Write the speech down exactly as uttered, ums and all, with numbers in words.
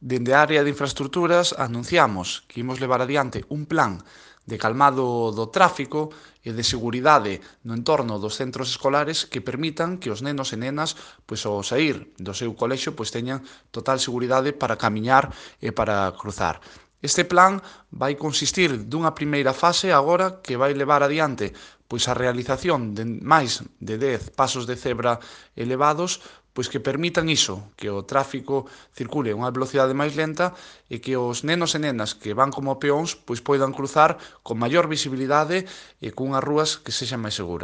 Dende a área de infraestruturas anunciamos que imos levar adiante un plan de calmado do tráfico e de seguridade no entorno dos centros escolares que permitan que os nenos e nenas, pois, ao saír do seu colexio, pois, teñan total seguridade para camiñar e para cruzar. Este plan vai consistir dunha primeira fase agora que vai levar adiante pois a realización de máis de dez pasos de cebra elevados pois que permitan iso, que o tráfico circule a unha velocidade máis lenta e que os nenos e nenas que van como peóns pois poidan cruzar con maior visibilidade e cunhas rúas que sexan máis seguras.